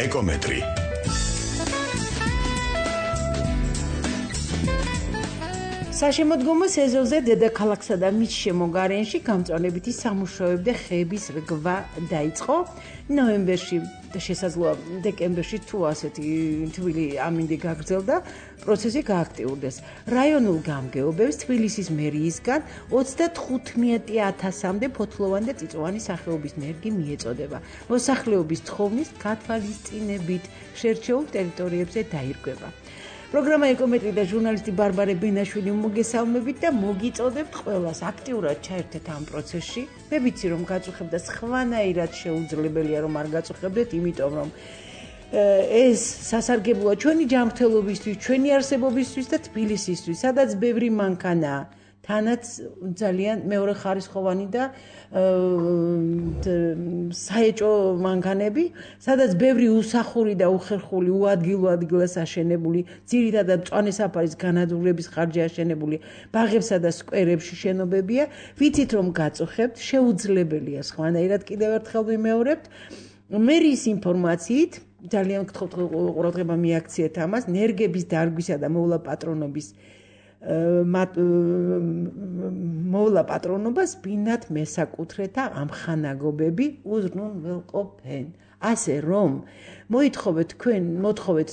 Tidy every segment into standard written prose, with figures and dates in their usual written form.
ეკომეტრი. საშემოდგომო სეზონზე დედაქალაქსა და მის შემოგარენში გამწვანებითი სამუშაოები და ხეების რგვა დაიწყო. ნოემბერში და შესაძლოა დეკემბერში თუ ასეთი თბილი ამინდი გაგრძელდა, პროცესი გააქტიურდეს. რაიონულ გამგეობებს თბილისის მერიისგან 35,000-მდე ფოთლოვანი და წიწვოვანი სახეობის ნერგი მიეწოდება. მოსახლეობის თხოვნით გათვალისწინებით შერჩეულ ტერიტორიებზე დაირღვევა. პროგრამა ეკომეტრი და ჟურნალისტი ბარბარე ბენაშვილი მოგესალმებით და მოგიწოდებთ ყველას აქტიურად ჩაერთეთ ამ პროცესში. მე ვიცი რომ გაწუხებთ და სხვანაირად შეუძლებელია რომ არ გაწუხებდეთ, იმიტომ რომ ეს სასარგებლოა ჩვენი ჯანმრთელობისთვის, ჩვენი არსებობისთვის და თბილისისთვის, სადაც ბევრი მანქანაა. თანაც ძალიან მეორე ხარისხოვანი და საეჭო მანქანები, სადაც ბევრი უსახური და უხერხული, უადგილო ადგილას აშენებული, ძირითადად მწვანე საფარის განადგურების ხარჯზე აშენებული ბაღებსა და სკვერებში შენობებია. ვიცით რომ გაწუხებთ, შეუძლებელია სხვანაირად კიდევ ერთხელ ვიმეორებთ. მერის ინფორმაციით, ძალიან გთხოვთ ყურადღება მიაქციეთ ამას, ნერგების დარგვისა და მოვლა პატრონობის მოვლა პატრონობას ბინათ მესაკუთრეთა ამხანაგობები უზრუნველყოფენ. ასე რომ მოთხოვეთ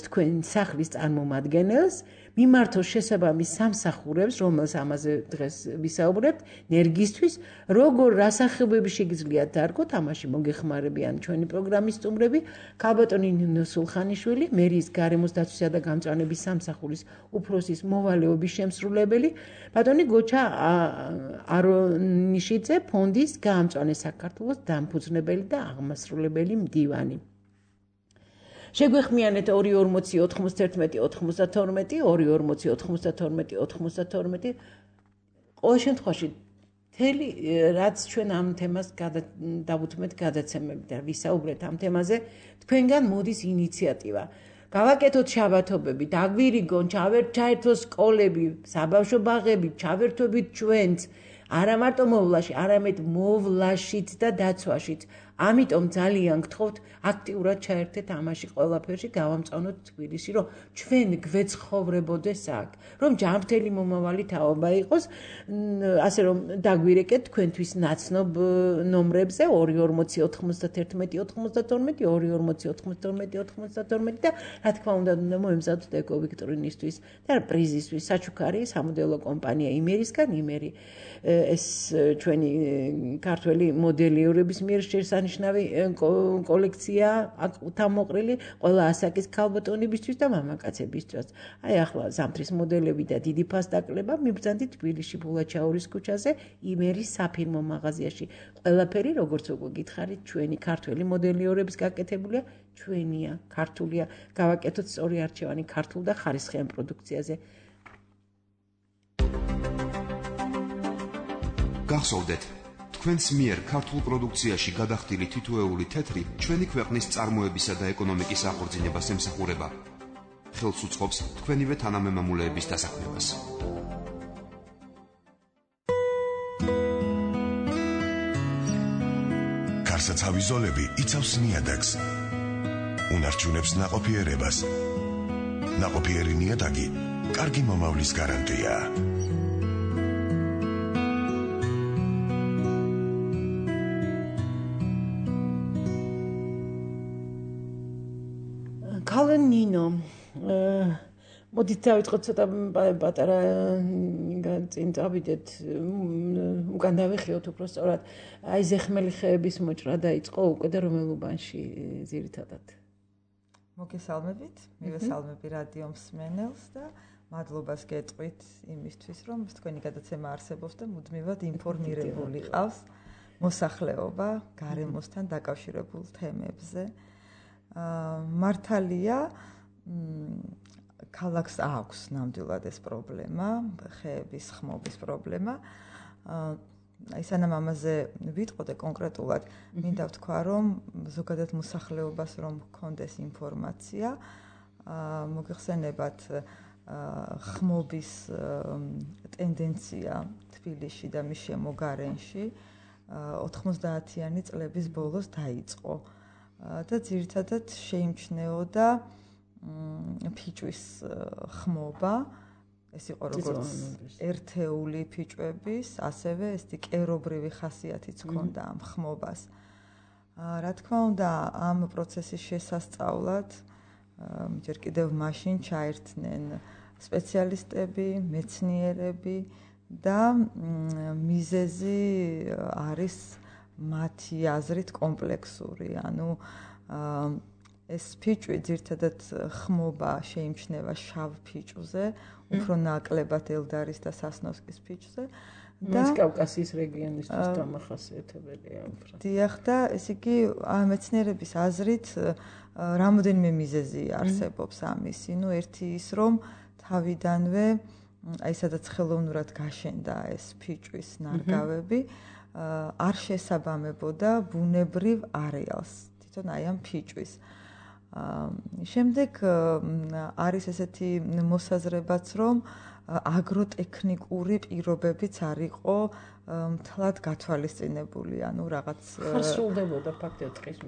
თქვენ სახლის წარმომადგენელს მიმართოს შესაბამის სამსახურებს, რომელს ამაზე დღეს ვისაუბრებთ, ნერგისთვის, როგორ რასახებები შეგიძლიათ დარგოთ, ამაში მოგეხმარებიან ჩვენი პროგრამის სტუმრები, ქალბატონი ნინო სულხანიშვილი, მერის გარემოს დაცვისა და გამწვანების სამსახურის უფროსის მოვალეობის შემსრულებელი, ბატონი გოჩა არონიშიძე, ფონდის გაამწვანე საქართველოს დამფუძნებელი და აღმასრულებელი მდივანი. შეგვეხმიანეთ 240-91-92, 240-92-92. ყოველ შემთხვევაში მთელი რაც ჩვენ ამ თემას დავუთმეთ გადაცემები და ვისაუბრეთ ამ თემაზე, თქვენგან მოდის ინიციატივა. გავაკეთოთ შაბათობები, დაგვირიგონ, ჩაერთოს სკოლები, საბავშვო ბაღები, ჩავერთვებით ჩვენც, არა მარტო მოვლაში, არამედ მოვლაშიც და დაცვაშიც. ამიტომ ძალიან გთხოვთ აქტიურად ჩაერთეთ ამაში ყველაფერში, გავამწვანოთ თბილისი, რომ ჩვენ გვეცხოვრებოდეს აქ, რომ ჯანმრთელი მომავალი თაობა იყოს, ასე რომ დაგვირეკეთ თქვენთვის ნაცნობ ნომრებზე 240-91-92, 240-92 და რა თქმა უნდა მოემზადოთ ეკოვიქტორინისთვის და პრიზისთვის საჩუქარი სამოდელო კომპანია იმერისგან. იმერი ეს ჩვენი ქართველი მოდელიორების მიერ შესანიშნავი კოლექცია თამოყრილი ყველა ასაკის ქალბატონებისთვის და მამაკაცებისთვის. აი ახლა ზამთრის მოდელები და დიდი ფასდაკლება მიბრძანდით თბილისში ბულაჩაურის ქუჩაზე იმერის საფირმო მაღაზიაში. ყველაფერი როგორც უკვე გითხარით, ჩვენი ქართველი მოდელიორების გაკეთებულია, ჩვენია, ქართულია. გავაკეთოთ სწორი არჩევანი ქართულ და ხარისხიან პროდუქციაზე. გახსოვდეთ, თქვენს მიერ ქართულ პროდუქციაში გადახდილი თითოეული თეთრი ჩვენი ქვეყნის წარმოებისა და ეკონომიკის აღორძინებას ემსახურება. ხელს უწყობს თქვენივე თანამემამულეების დასაქმებას. გარსაცავი ზოლები იცავს ნიადაგს. უნარჩუნებს ნაყოფიერებას. ნაყოფიერი ნიადაგი კარგი მომავლის გარანტია. ნინო, მოდით დავიწყოთ ცოტა პატარა წინ წავიდეთ, უკან დავიხიოთ უფრო სწორად. აი ზეხმელი ხეების მოჭრა დაიწყო უკვე და რომელ უბანში ძირითადად? მოგესალმებით, მივესალმები რადიო მსმენელს და მადლობას გეტყვით იმისთვის, რომ თქვენი გადაცემა არსებობს და მუდმივად ინფორმირებული ყავს მოსახლეობა გარემოსთან დაკავშირებულ თემებზე. მართალია ქალაქს აქვს ნამდვილად ეს პრობლემა, ხეების ხმობის პრობლემა. აი სანამ ამაზე ვიტყოდე კონკრეტულად, მინდა ვთქვა, რომ ზოგადად მოსახლეობას რომ ჰქონდეს ინფორმაცია, მოგეხსენებათ ხმობის ტენდენცია თბილისში და მის შემოგარენში 90-იანი წლების ბოლოს დაიწყო. და ძირითადად შეიმჩნეოდა ფიჭვის ხმობა. ეს იყო როგორც ერთეული ფიჭვების, ასევე ესეთი კერობრივი ხასიათიც ჰქონდა ამ ხმობას. რა თქმა უნდა, ამ პროცესის შესასწავლად ჯერ კიდევ მაშინ ჩაერთნენ სპეციალისტები, მეცნიერები და მიზეზი არის მათი აზრით კომპლექსური, ანუ ეს ფიჭვი ძირთადად ხმობა შეიმჩნევა შავ ფიჭვზე, უფრო ნაკლებად ელდარის და სასნოვსკის ფიჭვზე და კავკასიის რეგიონისთვის დამახასიათებელია. დიახ და ესე იგი მეცნიერების აზრით რამოდენიმე მიზეზი არსებობს ამისი. ნუ ერთი ის რომ თავიდანვე აი სადაც ხელოვნურად გაშენდა ეს ფიჭვის ნარგავები არ შესაბამებოდა ბუნებრივ არეალს თვითონ აი ამ ფიჭვის. შემდეგ არის ესეთი მოსაზრებაც რომ აგროტექნიკური პირობებიც არ იყო მთლად გათვალისწინებული, ანუ რაღაც ხსრულდებოდა ფაქტობრივად ტყის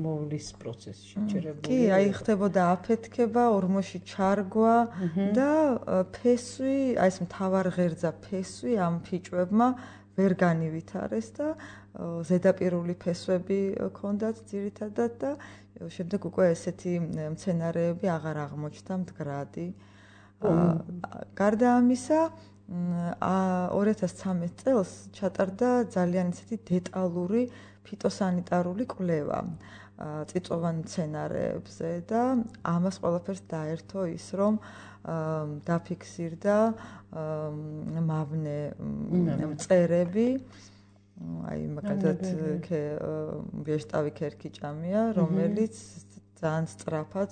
მოვლის პროცესში შეჭერებული. კი, აი ხდებოდა აფეთქება, ორმოში ჩარგვა და ფესვი, აი ეს მთავარ ღერძა ფესვი ამ ფიჭვებმა ვერ განივითარეს და ზედაპირული ფესვები ჰქონდათ ძირითადად და შემდეგ უკვე ესეთი მცენარეები აღარ აღმოჩნდა მდგრადი. გარდა ამისა 2013 წელს ჩატარდა ძალიან ისეთი დეტალური ფიტოსანიტარული კვლევა წიწვოვან მცენარეებზე და ამას ყველაფერს დაერთო ის რომ დაფიქსირდა მავნე მწერები აი მაგალითად ვეშტავი ქერქიჭამია რომელიც ძალიან სწრაფად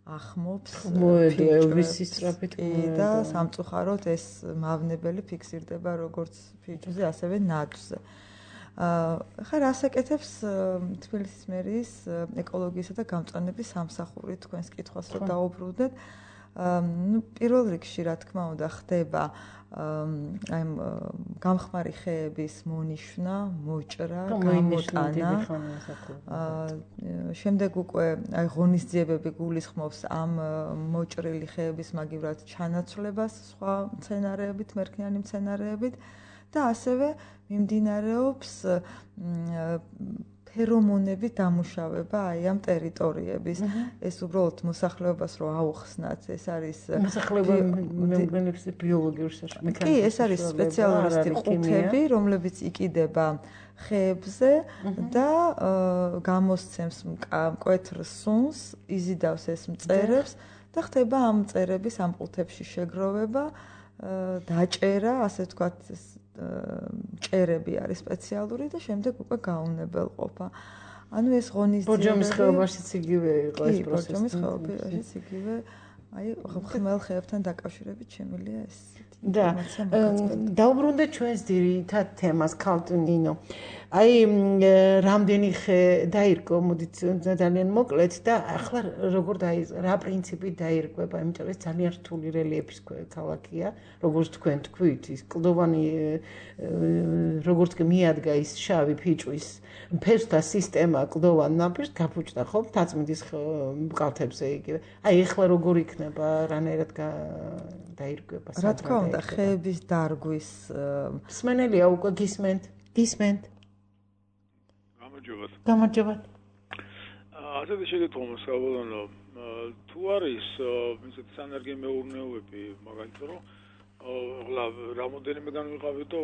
ახმობს ფიჭვის სწრაფით და სამწუხაროდ ეს მავნებელი ფიქსირდება როგორც ფიჭვზე ასევე ნაძვზე. ხა რასაკეთებს თბილისის მერიის ეკოლოგიისა და გამწვანების სამსახური თქვენს კითხვას რომ დაუბრუნდეთ. ნუ პირველ რიგში რა თქმა უნდა ხდება აი გამხმარი ხეების მონიშნა, მოჭრა, გამოტანა. შემდეგ უკვე აი ღონისძიებები გულისხმობს ამ მოჭრილი ხეების მაგივრად ჩანაცვლებას სხვა მცენარეებით, მერქნიანი მცენარეებით და ასევე მიმდინარეობს ფერომონების დამუშავება აი ამ ტერიტორიების. ეს უბრალოდ მოსახლეობას რო აუხსნათ, ეს არის მოსახლეობა მეუბნებს ბიოლოგიურ მექანიკას. კი, ეს არის სპეციალისტი ყუთები, რომლებიც იყიდება ხეებზე და გამოსცემს მკვეთრ სუნს, იზიდავს ეს მწერებს და ხდება ამ მწერების ამ ყუთებში შეგროვება, დაჭერა, ასე ვთქვათ, ჭერები არის სპეციალური და შემდეგ უკვე გაუნებელყოფა. ანუ ეს ღონისძიებები ბორჯომის ხეობაშიც იგივე იყო ეს პროცესი. ბორჯომის ხეობაშიც იგივე, აი ხმელ ხეებთან დაკავშირებით შემილია ეს და დაუბრუნდეთ ჩვენს ძირითად თემას ქალტუნინო. აი რამდენი ხე დაირგო, მოდით ძალიან მოკლედ და ახლა როგორ რა პრინციპით დაირგვება, იმიტომ ეს ძალიან რთული რელიეფის ქალაქია, როგორც თქვენ თქვით, ის კლდოვანი როგორც კი მიადგა ის შავი ფიჭვის ფესვთა სისტემა კლდოვან ნაპირს გაფუჭდა ხო თაწმინდის კალთებზე იგივე. აი ახლა როგორ იქნება, რანაირად დაირგვება რა თქმა უნდა, ხეების დარგვის მსმენელია უკვე გისმენთ. გამარჯობათ. ასეთი შეკითხვა მოსავალანო, თუ არის ისეთი სანერგე მეურნეობები, მაგალითად რომ რამოდენიმე განვიყავით და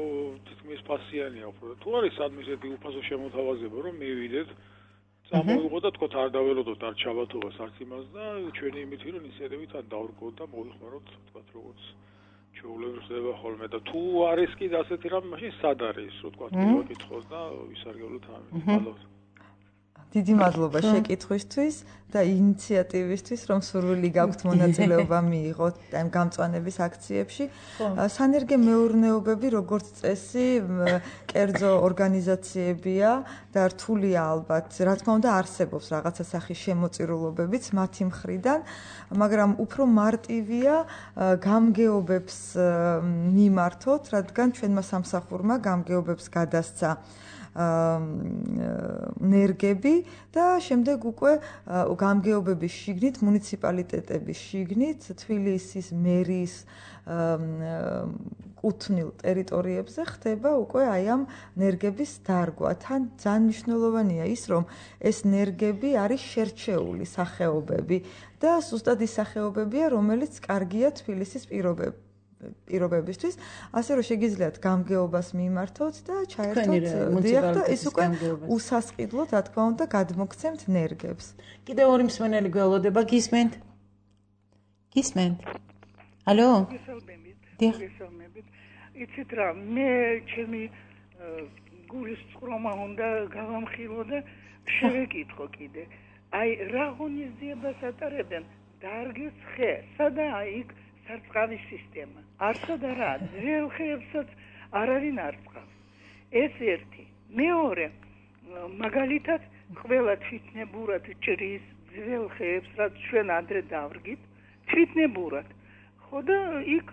თითქმის ფასიანია უფრო. თუ არის სადმე ისეთი უფასო შემოთავაზება, რომ მივიდეთ, წამოვიღო და თქვათ არ დაველოდოთ არ ჩავათოვას არც იმას და ჩვენი იმითი რომ ინიციატივით ან დავრგოთ და მოვიხმაროთ, თქვათ როგორც ჩვეულებრივ ხდება ხოლმე და თუ არის კიდე ასეთი რამ, მაშინ სად არის, რო თქვათ მივაკითხოთ და ვისარგებლოთ ამით. მადლობა. დიდი მადლობა შეკითხვისთვის და ინიციატივისთვის, რომ სურვილი გაქვთ მონაწილეობა მიიღოთ ამ გამწვანების აქციებში. სანერგე მეურნეობები, როგორც წესი, კერძო ორგანიზაციებია და რთულია ალბათ, რა თქმა უნდა, არსებობს რაღაცა სახის შემოწირულობებიც მათი მხრიდან, მაგრამ უფრო მარტივია გამგეობებს მიმართოთ, რადგან ჩვენმა სამსახურმა გამგეობებს გადასცა ნერგები და შემდეგ უკვე გამგეობების შიგნით, მუნიციპალიტეტების შიგნით, თბილისის მერის კუთვნილ ტერიტორიებზე ხდება უკვე აი ამ ნერგების დარგვა. თან ძალიან მნიშვნელოვანია ის, რომ ეს ნერგები არის შერჩეული სახეობები და სუსტად ის სახეობებია, რომელიც კარგია თბილისის პირობებისთვის, ასე რომ შეგიძლიათ გამგეობას მიმართოთ და ჩაერთოთ დიახ და ის უკვე უსასყიდლოდ, რა თქმა უნდა, გადმოგცემთ ნერგებს. კიდევ ორი მსმენელი გველოდება, გისმენთ? ალო? გესალმებით. იცით რა, მე ჩემი გულის წყრომა უნდა გავამხილო და შევეკითხო კიდე. აი რა ღონისძიებას ატარებენ დარგის ხე, სადაა იქ სარწყავის სისტემა. არცა და რა, ძველ ხეებსაც არავინ არ წყავს. ეს ერთი. მეორე, მაგალითად, ყველა თვითნებურად ჭრის ძველ ხეებს, რაც ჩვენ ადრე დავრგით, თვითნებურად. ხო და იქ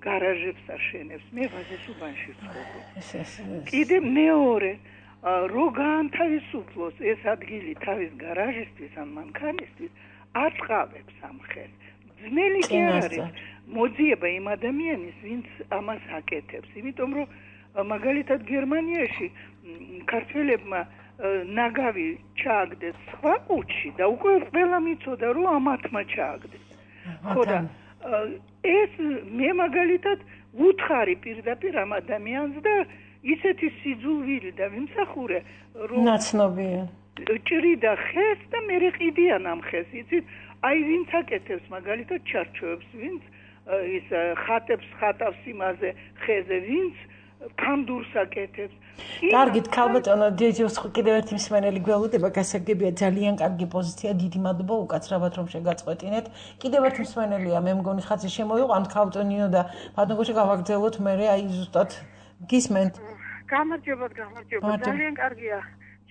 გარაჟებს აშენებს. მე ვაზესუბანში ვცხოვრობ. კიდე მეორე, რო გაანთავისუფლოს ეს ადგილი თავის გარაჟისთვის ან მანქანისთვის, აწყავებს ამ ხელს. ძნელი კი არ არის მოძიება იმ ადამიანის, ვინც ამას აკეთებს. იმიტომ რომ მაგალითად გერმანიაში ქართველებმა ნაგავი ჩააგდეს სხვა კუჩში და უკვე ყველა მიცოდა რომ ამათმა ჩააგდეს. ხო და ეს მე მაგალითად უთხარი პირდაპირ ამ ადამიანს და ისეთი სიძულვილი და ვიმსახურე რომ ნაცნობია ჭრიდა ხეს და მე ყიდიან ამ ხეს. იცით, აი ვინც აკეთებს მაგალითად ჩარჩოებს, ვინც ის ხატებს ხატავს იმაზე ხეზე, ვინც კანდურს აკეთებს. კარგით, ქალბატონო, დიეჯოს კიდევ ერთი მსმენელი გველოდება, გასაგებია, ძალიან კარგი პოზიცია, დიდი მადლობა უკაცრავად რომ შეგაწყვეტინეთ. კიდევ ერთი მსმენელია, მე მგონი ხაზი შემოიყვანთ ქალბატონინო და ბატონგოში გავაგრძელოთ მე აი ზუსტად გისმენთ. გამარჯობა, ძალიან კარგია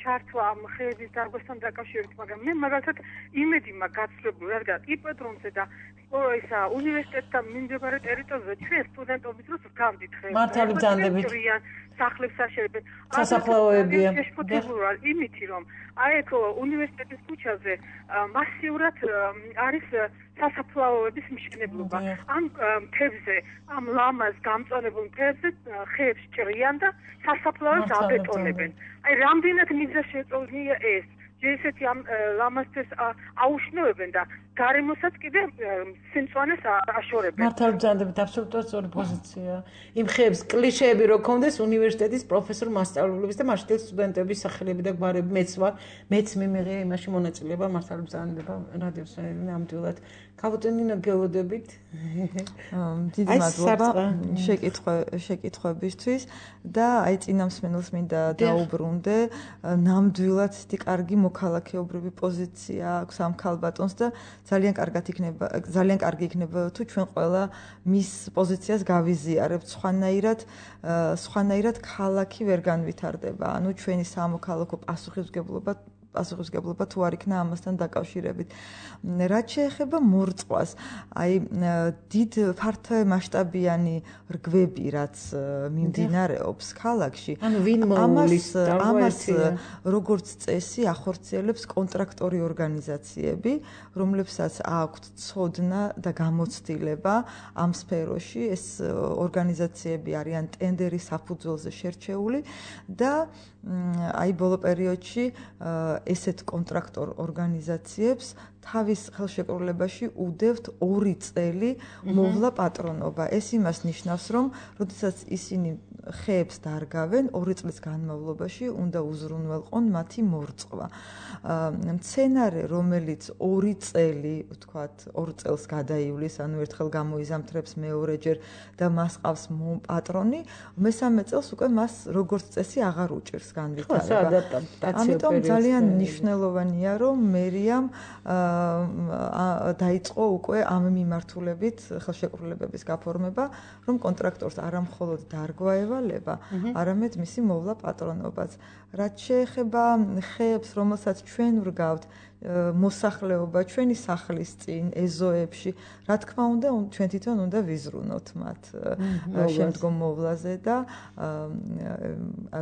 ჩართვა ამ ხეების დარგვასთან დაკავშირებით, მაგრამ მე მაგალითად იმედი მაქვს გაცვლებული, რადგან იპოდრომზე და ისა უნივერსიტეტთან მიმდებარე ტერიტორიაზე ჩვენ სტუდენტობის დროს გავდით ხეებზე. მართალი ბრძანდებით. სახლებს აშენებენ. სასაფლაოებია. შეშფოთებულა იმითი რომ აი ეგ უნივერსიტეტის ქუჩაზე მასიურად არის სასაფლაოების მშენებლობა. ამ მთებზე, ამ ლამაზ გამწვანებულ მთებზე ხეებს ჭრიან და სასაფლაოს აბეტონებენ. აი რამდენად მიზა შეწოლნია ეს. ესეთი ამ ლამაზთეს აუშნევებენ და გარემოსაც კიდე სიმწვანეს აშორებენ. მართალ ბრძანდებით, აბსოლუტურად სწორი პოზიცია. იმ ხეებს კლიშეები რო ქონდეს უნივერსიტეტის პროფესორ მასწავლებლების და მასშტაბის სტუდენტების სახელები და გვარები მეც მიმიღია იმაში მონაწილეობა, მართალ ბრძანდება რადიოს ნამდვილად. ქალბატონინო გელოდებით. დიდი მადლობა შეკითხვებისთვის და აი წინამსმენელს მინდა დაუბრუნდე, ნამდვილად ისეთი კარგი მოქალაქეობრივი პოზიცია აქვს ამ ქალბატონს და ძალიან კარგი იქნება თუ ჩვენ ყველა მის პოზიციას გავიზიარებთ. სხვანაირად ქალაქი ვერ განვითარდება. ანუ ჩვენი სამოქალაქო პასუხისმგებლობა თუ არ იქნა ამასთან დაკავშირებით. რაც შეეხება მორწყვას, აი დიდ ფართომასშტაბიანი რგვები, რაც მიმდინარეობს ქალაქში, ამას როგორც წესი ახორციელებს კონტრაქტორი ორგანიზაციები, რომლებსაც აქვთ ცოდნა და გამოცდილება ამ სფეროში. ეს ორგანიზაციები არიან ტენდერის საფუძველზე შერჩეული და აი ბოლო პერიოდში ესეთ კონტრაქტორ ორგანიზაციებს თავის ხელშეკრულებაში უდევთ 2 წელი მოვლა პატრონობა. ეს იმას ნიშნავს, რომ როდესაც ისინი ხეებს დარგავენ 2 წლის განმავლობაში უნდა უზრუნველყონ მათი მორწყვა. მცენარე, რომელიც 2 წელი, ვთქვათ, 2 წელს გადაივლის, ანუ ერთხელ გამოიზამთრებს მეორეჯერ და მას ყავს პატრონი, მესამე წელს უკვე მას როგორც წესი აღარ უჭირს განვითარება. ამიტომ ძალიან მნიშვნელოვანია, რომ მერიამ დაიწყო უკვე ამ მიმართულებით ხელშეკრულებების გაფორმება, რომ კონტრაქტორს არა მხოლოდ დარგვა ევალება, არამედ მისი მოვლა პატრონობაც. რაც შეეხება ხეებს, რომელსაც ჩვენ ვრგავთ, მოსახლეობა ჩვენი სახლის წინ ეზოებში რა თქმა უნდა ჩვენ თვითონ უნდა ვიზრუნოთ მათ შემდგომ მოვლაზე და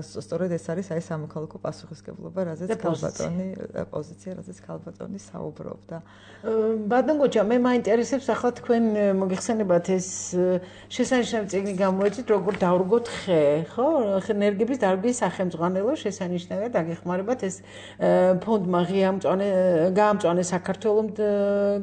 სწორედ ეს არის აი სამოქალაქო პასუხისმგებლობა რაზეც ქალბატონი პოზიცია რაზეც ქალბატონი საუბრობდა ბატონ გოჩა მე მაინტერესებს ახლა თქვენ მოგიხსენებათ ეს შესანიშნავი წიგნი გამოეწით როგორ დავრგოთ ხე ხო ენერგების დარგვის სახელმძღვანელო შესანიშნავია დაგეხმარებათ ეს ფონდმა გაამწვანე საქართველოს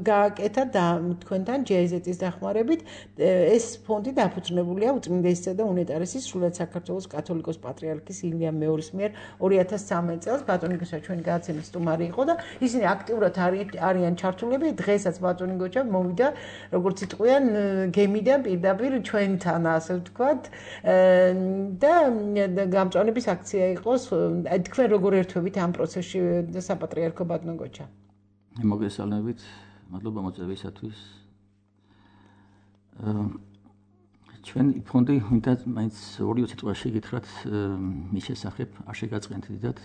გააკეთა და თქვენთან ჯეიზეტის დახმარებით ეს ფონდი დაფუძნებულია უწმინდესისა და უნეტარესის სრულად საქართველოს კათოლიკოს პატრიარქის ილიამ მეორის მიერ 2013 წელს ბატონი გოჩა ჩვენი გადაცემის სტუმარი იყო და ისინი აქტიურად არიან ჩართულები დღესაც ბატონი გოჩა მოვიდა როგორც იტყვიან გემიდან პირდაპირ ჩვენთან ასე ვთქვათ და გამწვანების აქცია იყოს თქვენ როგორ ერთვებით ამ პროცესში საპატრიარქო ბატონო გოჩა მოგესალმებით მადლობა მოწვევისათვის ჩვენ ფონდი უნდა მაინც 2 სიტყვაში გითხრათ მის შესახებ არ შეგაწყენთ დიდად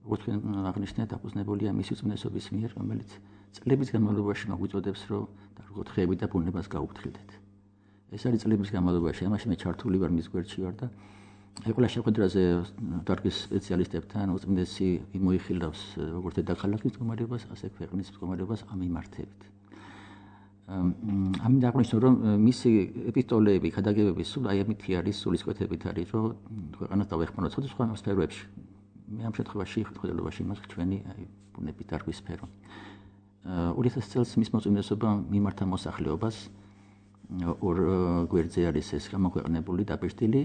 როგორც თქვენ აღნიშნეთ დაფუძნებულია მისი უწმინდესობის მიერ რომელიც წლების განმავლობაში მოგვიწოდებს რომ დავრგოთ ხეები და ბუნებას გაუფრთხილდეთ ეს არის წლების განმავლობაში ამაში მე ჩართული ვარ მის გვერდში ვარ და ყველა შეხვედრაზე დარგის სპეციალისტებთან უწმინდესი მოიხილავს როგორც დედაქალაქის მდგომარეობას ასე ქვეყნის მდგომარეობას ამ მიმართებით ამით აღნიშნულ რომ მისი ეპისტოლეები ქადაგებები სულ აი ამითი არის სულისკვეთებით არის რომ ქვეყანას დავეხმაროთ სხვადასხვა სფეროებში მე ამ შემთხვევაში ხელმძღვანელობაში იმას ჩვენი აი ბუნების დარგვის სფერო 2000 წელს მის მოწმინდესობამ მიმართა მოსახლეობას ორ გვერდზე არის ეს გამოქვეყნებული დაბეჭდილი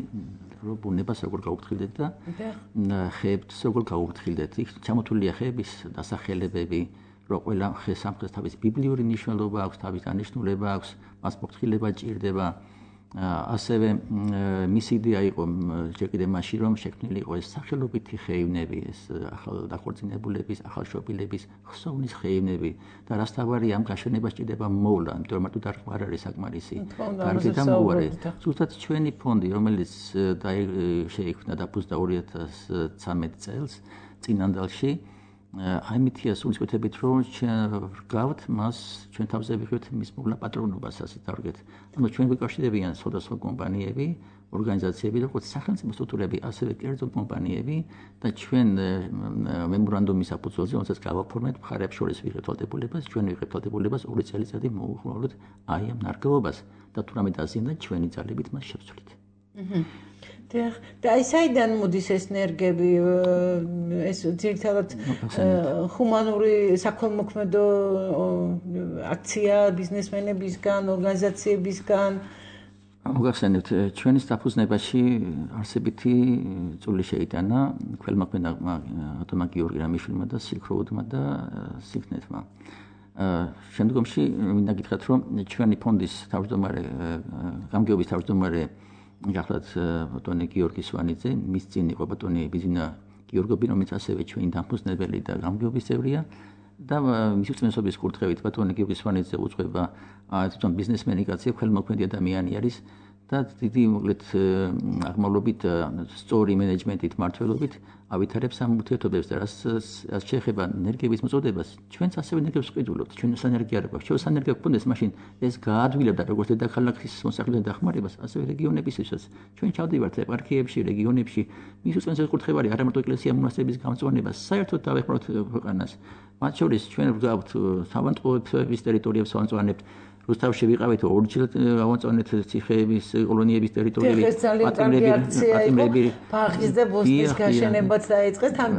რომ ბუნებას როგორ გაუფრთხილდეთ და ხეებს როგორ გაუფრთხილდეთ იქ ჩამოთვლილია ხეების დასახელებები რომ ყველა ხე სამხრეთ თავის ბიბლიური ნიშნულობა აქვს თავის დანიშნულება აქვს მას მოფრთხილება ჭირდება ასევე მისი იდეა იყო ჯერ კიდევ მაშინ რომ შექმნილი იყო ეს სახელობითი ხეივნები ეს ახალ დაქორწინებულების ახალშობილების ხსოვნის ხეივნები და რასთავარი ამ გაშენებას ჭირდება მოვლა იმიტომ რომ მარტო დარგვა არ არის საკმარისი დარგი დამუარე ზუსტად ჩვენი ფონდი რომელიც შეიქმნა დაფუძნდა 2013 წელს წინანდალში აიმითია სულისკვეთებით რომ გავთ მას ჩვენ თავზე ვიღებთ მის მოვლა პატრონობას ასე დავდგეთ ანუ ჩვენ გვიკავშირდებიან სხვადასხვა კომპანიები ორგანიზაციები როგორც სახელმწიფო სტრუქტურები ასევე კერძო კომპანიები და ჩვენ მემორანდუმის საფუძველზე რომელსაც გავაფორმეთ მხარეებს შორის ვიღებთ ვალდებულებას ჩვენ ვიღებთ ვალდებულებას 2 წელიწადი მოუხმოვლოთ აი ამ ნარგავობას და თუ რამე დაზიანდა ჩვენი ძალებით მას შევცვლით და აი საიდან მოდის ეს ენერგები ეს ძირითადად ჰუმანური საქველმოქმედო აქცია ბიზნესმენებისგან ორგანიზაციებისგან მოგახსენებთ ჩვენი დაფუძნებაში არსებითი წვლილი შეიტანა ქველმოქმედმა ატომა გიორგი რამიშვილმა და სილკ როუდმა და სიკნეთმა შემდგომში მინდა გითხრათ რომ ჩვენი ფონდის თავმჯდომარე გამგეობის თავმჯდომარე გახლავთ ბატონი გიორგი სვანიძე მის წინ იყო ბატონი ბიზინა გიორგობი რომელიც ასევე ჩვენი დამფუძნებელი და გამგეობის წევრია და მის უწმენესობის კურთხევით ბატონი გიორგი სვანიძე უძღვება თვითონ ბიზნესმენი კაცი ხელმოქმედი ადამიანი არის და დიდი მოკლედ აღმავლობით სწორი მენეჯმენტით მართლობით ავითარებს ამ ურთიერთობებს და რაც შეეხება ენერგიების მოწოდებას ჩვენც ასევე ენერგიებს ვყიდულობთ ჩვენ ენერგია არ გვაქვს ჩვენ ენერგია გვქონდეს მაშინ ეს გაადვილებდა როგორც დედაქალაქის მოსახლეობის დახმარებას ასევე რეგიონებისთვისაც ჩვენ ჩავდივართ ეპარქიებში რეგიონებში მის უწმენესობის კურთხევა არის არა მარტო ეკლესია მონასტრების გამწვანება საერთოდ დავეხმაროთ ქვეყანას მათ შორის ჩვენ ვგავთ სავანტყოფების ტერიტორიებს ვამწვანებთ რუსთავში ვიყავით ორჯერ ავაწონეთ ციხეების კოლონიების ტერიტორიები პატიმრები ბაღის და ბოსტის გაშენებაც დაიწყეს თან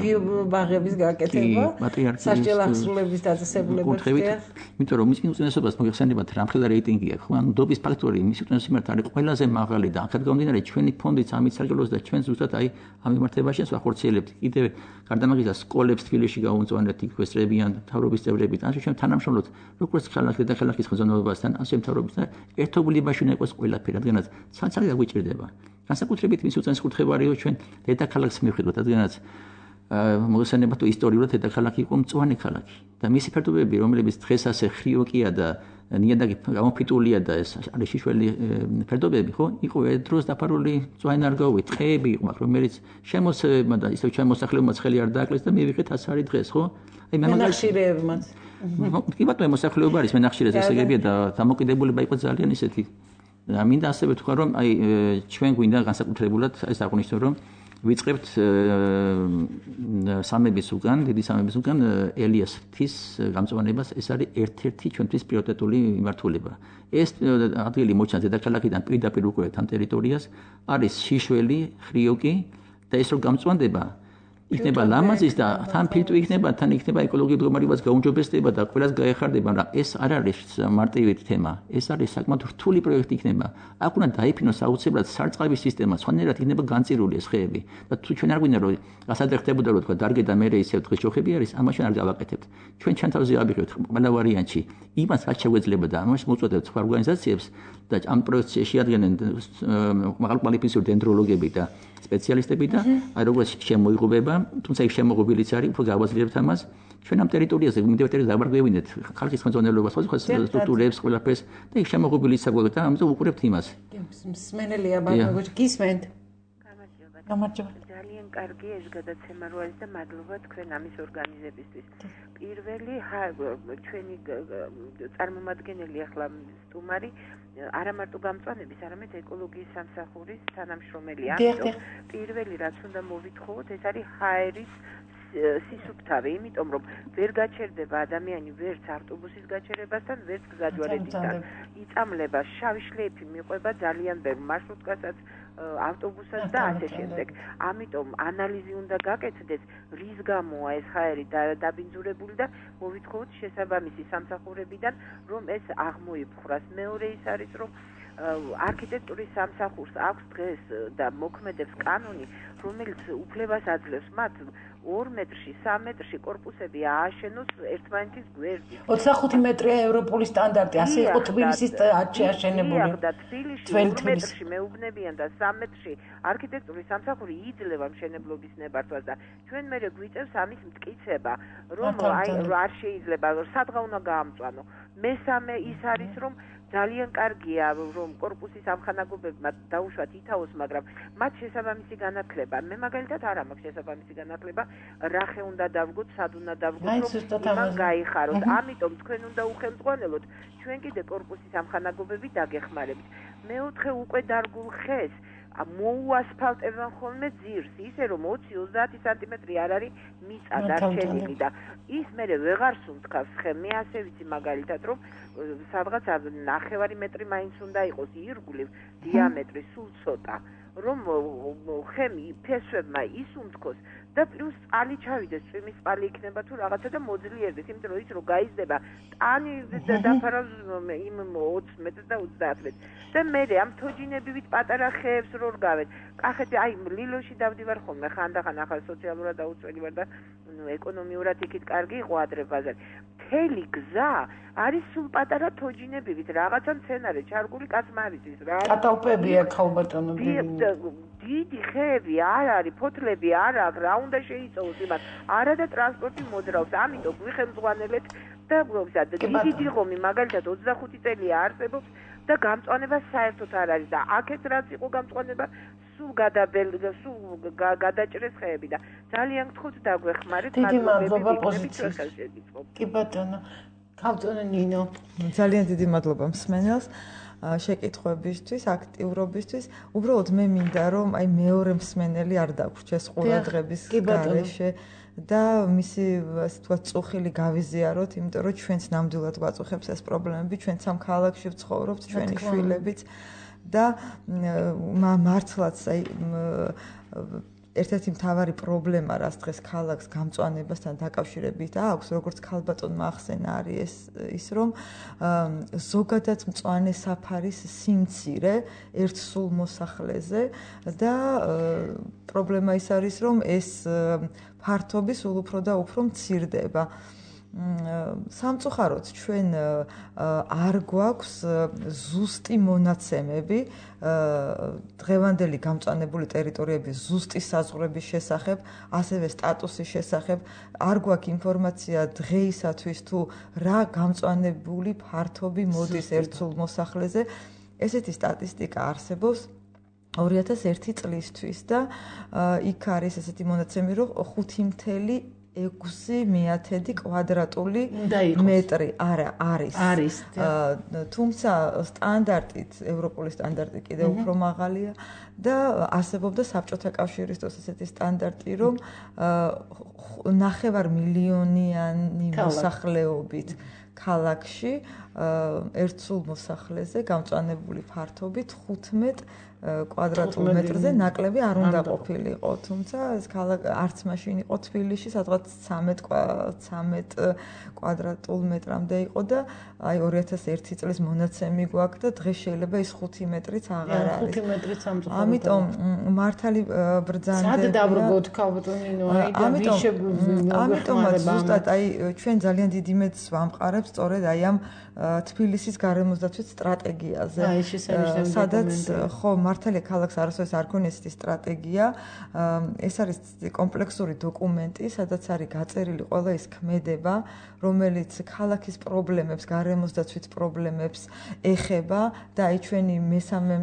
ბაღების გაკეთება სასჯელ აღსრულების დაწესებულებებს იმიტომ რომ მის უწმენესობას მოგეხსენებათ რამხელა რეიტინგი აქვს ხო ანუ დობის ფაქტორი მის უწმენესობამ არის ყველაზე მაღალი და აქეთ გამომდინარე ჩვენი ფონდიც ამით სარგებლობს და ჩვენ ზუსტად აი ამ მიმართებაში ვახორციელებთ კიდევ გარდა მაგისა სკოლებს თბილისში გავუმწვანებთ იქ ვესწრებიან მთავრობის წევრებით ასე ჩვენ თანამშრომლობთ როგორც ქალაქის და ქალაქის ხელმძღვანელობასთან ასე მთავრობასთან ერთობლივობაში უნდა იყოს ყველაფერი რადგანაც საცალე დაგვიჭირდება განსაკუთრებით მის უწმენეს კურთხევა არის ჩვენ დედაქალაქს მივხვდით რადგანაც მოგესალმება თუ ისტორიულად დედაქალაქი იყო მწვანე ქალაქი და მისი ფერდობები რომლებიც დღეს ასე ხრიოკია და ნიადაგი გამოფიტულია და ეს არის შიშველი ფერდობები ხო იყო ერთ დროს დაფარული მწვანე-ნარგავით ტყეები იყო რომელიც შემოსევებმა და ისევ შემოსახლებმაც ხელი არ დააკლეს და მივიღეთ ასარი დღეს ხო აი მენახშირეებმაც კი ბატონო მოსახლეობა არის მენახშირეზე ესეგებია და დამოკიდებულება იყო ძალიან ისეთი და მინდა ასევე თქვა რომ აი ჩვენ გვინდა განსაკუთრებულად ეს აღვნიშნო რომ ვიწყებთ სამების უკან, დიდი სამების უკან ელიას ღვთის გამწვანებას, ეს არის ერთ-ერთი ჩვენთვის პრიორიტეტული მიმართულება. ეს ადგილი მოჩანს დედაქალაქიდან პირდაპირ უკვე თან ტერიტორიას, არის შიშველი, ხრიოკი და ეს რო გამწვანდება იქნება ლამაზის და თან ფილტვი იქნება, თან იქნება ეკოლოგიური მდგომარეობაც გაუმჯობესდება და ყველას გაეხარდება, მაგრამ ეს არ არის მარტივი თემა. ეს არის საკმაოდ რთული პროექტი იქნება. აქ უნდა დაიფინოს აუცილებლად სარწყავი სისტემა, სხვანაირად იქნება განწირული ეს ხეები. და თუ ჩვენ არ გვინდა რომ გასადე ხდებოდა რომ თქვა დარგე და მერე ისევ დღის შოხები არის, ამაში არ გავაკეთებთ. ჩვენ ჩანთავზე ავიღებთ ყველა ვარიანტში. იმას რაც შეგვეძლება და ამას მოუწოდებთ სხვა ორგანიზაციებს და ამ პროექტში შეადგენენ მაღალკვალიფიციური დენდროლოგები და სპეციალისტები და აი როგორც შემოიღობება, თუმცა ის შემოღობილიც არის, უფრო გავაძლიერებთ ამას. ჩვენ ამ ტერიტორიაზე მიმდევართ დაბრუნებინეთ ხალხის ხელმძღვანელობას, სხვა სტრუქტურებს, ყველაფერს და ის შემოღობილიც საგვარად და ამიტომ უყურებთ იმას. მსმენელია ბატონო, გისმენთ? გამარჯობა. ძალიან კარგი ეს გადაცემა რო არის და მადლობა თქვენ ამის ორგანიზებისთვის. პირველი ჩვენი წარმომადგენელი ახლა სტუმარი არა მარტო გამწვანების, არამედ ეკოლოგიის სამსახურის თანამშრომელია. ამიტომ პირველი რაც უნდა მოვითხოვოთ, ეს არის ჰაერის სისუფთავე, იმიტომ რომ ვერ გაჩერდება ადამიანი ვერც ავტობუსის გაჩერებასთან, ვერც გზაჯვარედინთან. იწამლება შავი შლეიფი მიყვება ძალიან ბევრ მარშრუტკასაც, ავტობუსას და ასე შემდეგ. ამიტომ ანალიზი უნდა გაკეთდეს, რის გამოა ეს ჰაერი დაბინძურებული და მოვითხოვოთ შესაბამისი სამსახურებიდან, რომ ეს აღმოიფხვრას. მეორე ის არის, რომ არქიტექტურის სამსახურს აქვს დღეს და მოქმედებს კანონი, რომელიც უფლებას აძლევს მათ 2 მეტრში, 3 მეტრში კორპუსები ააშენოს ერთმანეთის გვერდით. 25 მეტრია ევროპული სტანდარტი, ასე იყო თბილისის აშენებული. და თბილისში 2 მეტრში მეუბნებიან და 3 მეტრში არქიტექტურის სამსახური იძლევა მშენებლობის ნებართვას და ჩვენ მერე გვიწევს ამის მტკიცება, რომ აი არ შეიძლება, სადღა უნდა გაამწვანო. მესამე ის არის, რომ ძალიან კარგია რომ კორპუსის ამხანაგობებმა დაუშვათ ითაოს, მაგრამ მათ შესაბამისი განათლება. მე მაგალითად არ მაქვს შესაბამისი განათლება, რა ხე უნდა დავგოთ, სად უნდა დავგოთ, რომ იმან გაიხაროთ. ამიტომ თქვენ უნდა უხელმძღვანელოთ, ჩვენ კიდე კორპუსის ამხანაგობები დაგეხმარებით. მეოთხე უკვე დარგულ ხეს მოუასფალტებენ ხოლმე ძირს, ისე რომ 20-30 სანტიმეტრი არ არის მიწა დარჩენილი და ის მერე ვეღარ სუნთქავს ხე. მე ასე ვიცი მაგალითად, რომ სადღაც 9 მეტრი მაინც უნდა იყოს ირგვლივ დიამეტრი სულ ცოტა, რომ ხემი ფესვებმა ისუნთქოს და პლუს წყალი ჩავიდეს, წვიმის წყალი იქნება თუ რაღაცა და მოძლიერდეს, იმიტომ რომ ის რო გაიზრდება, ტანი დაფარავს იმ 20 მეტრს და 30 მეტრს. და მე ამ თოჯინებივით პატარა ხეებს რო რგავენ. კახეთი, აი ლილოში დავდივარ ხოლმე, ხანდახან ახლა სოციალურად დაუწველი ვარ და ეკონომიურად იქით კარგი იყო ადრე ბაზარი. მთელი გზა არის სულ პატარა თოჯინებივით, რაღაცა მცენარე, ჩარგული კაცმარიცის რა. კატალპებია ხალბატონო. დიდი ხეები არ არის, ფოთლები არ აქვს, რა უნდა შეიწოვოს იმას. არა და ტრანსპორტი მოძრაობს, ამიტომ გვიხელმძღვანელეთ და დიდი დიღომი მაგალითად 25 წელია არსებობს და გამწვანება საერთოდ არ არის და აქეთ რაც იყო გამწვანება სულ გადაჭრეს ხეები და ძალიან გთხოვთ დაგვეხმარეთ. დიდი მადლობა პოზიციით. კი ბატონო. ხალბატონო ნინო. ძალიან დიდი მადლობა მსმენელს. შეკითხვებისთვის, აქტიურობისთვის. უბრალოდ მე მინდა რომ აი მეორე მსმენელი არ დაგვრჩეს ყურადღების გარეშე და მისი ასე ვთქვათ წუხილი გავიზიაროთ, იმიტომ რომ ჩვენც ნამდვილად გვაწუხებს ეს პრობლემები, ჩვენც ამ ქალაქში ვცხოვრობთ, ჩვენი შვილებიც და მართლაც აი ერთ-ერთი მთავარი პრობლემა, რაც დღეს ქალაქს გამწვანებასთან დაკავშირებით აქვს, როგორც ქალბატონმა ახსენა, არის ის, რომ ზოგადად მწვანე საფარის სიმცირე ერთ სულ მოსახლეზე და პრობლემა ის არის, რომ ეს ფართობი სულ უფრო და უფრო მცირდება. სამწუხაროდ ჩვენ არ გვაქვს ზუსტი მონაცემები დღევანდელი გამწვანებული ტერიტორიების ზუსტი საზღვრების შესახებ, ასევე სტატუსის შესახებ, არ გვაქვს ინფორმაცია დღეისათვის თუ რა გამწვანებული ფართობი მოდის ერთსულ მოსახლეზე. ესეთი სტატისტიკა არსებობს 2001 წლისთვის და იქ არის ესეთი მონაცემი, რომ 5.6 კვადრატული მეტრი არის. თუმცა სტანდარტით, ევროპული სტანდარტი კიდევ უფრო მაღალია და არსებობდა საბჭოთა კავშირის დროს ესეთი სტანდარტი, რომ 9 მილიონიანი მოსახლეობით ქალაქში ერთსულ მოსახლეზე გამწვანებული ფართობით 15 კვადრატულ მეტრზე ნაკლები არ უნდა ყოფილიყო, თუმცა ეს არც მაშინ იყო თბილისში, სადღაც 13 კვადრატულ მეტრამდე იყო და აი 2001 წლის მონაცემი გვაქვს და დღეს შეიძლება ის 5 მეტრიც აღარ არის. 5 მეტრიც სამწუხაროდ. ამიტომ მართალი ბრძანდება. სად დაბრუნოთ ქალბატონინო, აი და ამიტომაც ზუსტად აი ჩვენ ძალიან დიდი მეტს ვამყარებს სწორედ აი ამ თბილისის გარემოსდაცვის სტრატეგიაზე. სადაც ხო მართალია ქალაქს არასოდეს არ ქონია ესეთი სტრატეგია. ეს არის კომპლექსური დოკუმენტი, სადაც არის გაწერილი ყველა ის ქმედება, რომელიც ქალაქის პრობლემებს, გარემოსდაცვის პრობლემებს ეხება და აი ჩვენი მესამე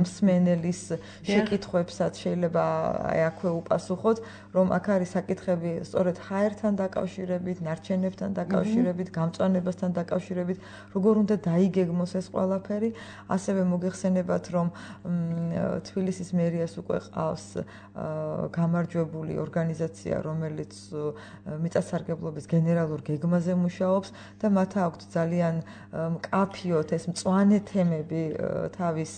მსმენელის შეკითხვებსაც შეიძლება აი აქვე უპასუხოთ, რომ აქ არის საკითხები სწორედ ჰაერთან დაკავშირებით, ნარჩენებთან დაკავშირებით, გამწვანებასთან დაკავშირებით, როგორ უნდა დაიგეგმოს ეს ყველაფერი. ასევე მოგეხსენებათ, რომ თბილისის მერიას უკვე ყავს გამარჯვებული ორგანიზაცია, რომელიც მიწათსარგებლობის გენერალურ გეგმაზე მუშაობს და მათ აქვთ ძალიან მკაფიოდ ეს მწვანე თემები თავის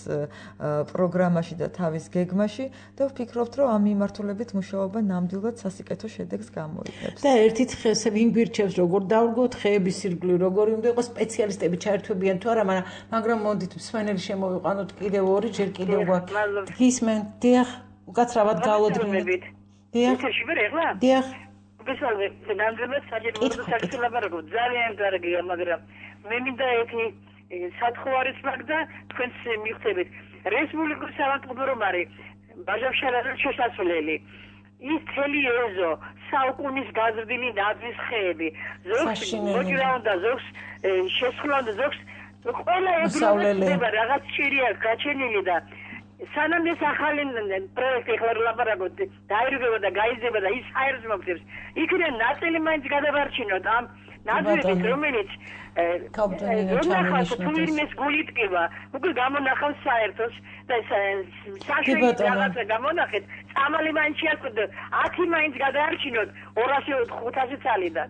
პროგრამაში და თავის გეგმაში და ვფიქრობთ, რომ ამ მიმართულებით მუშაობა ნამდვილად სასიკეთო შედეგს გამოიღებს. და ერთით ხეს ვინ გვირჩევს, როგორ დავრგოთ ხეების ირგვლივ, როგორი უნდა იყოს სპეციალისტები ჩაერთვებიან თუ არა, მაგრამ მოდით მსმენელი შემოვიყვანოთ კიდევ ორი, ჯერ კიდევ გვაქვს. გისმენთ, დიახ, უკაცრავად გავლოდგინეთ. დიახ. დიახ. ბესალე, ნამდვილად საჭიროა საკითხი ძალიან კარგია, მაგრამ მე მინდა ერთი სათხო არის მაგდა თქვენს მიღწევით. რესპუბლიკური სამართლებო რომ არის ბაჟავშალაძის შესასვლელი. ის თელი ეზო საუკუნის გაზრდილი ნაძვის ხეები. ზოგს მოჭრა უნდა, ზოგს შესხლა უნდა, ზოგს ყველა ეგრევე რაღაც ჭირია გაჩენილი და სანამ ეს ახალი პროექტი ხარ ლაპარაკობთ, დაირგება და გაიზრდება და ის აერს მოგწევს. იქიდან ნაწილი მაინც გადავარჩინოთ ამ ნაძვების, რომელიც რომელსაც გული ტკივა, უკვე გამონახავს საერთოს და საშუალო რაღაცა გამონახეთ, წამალი მაინც შეაკვდა, 10 მაინც გადაარჩინოთ 200-500 წალიდან.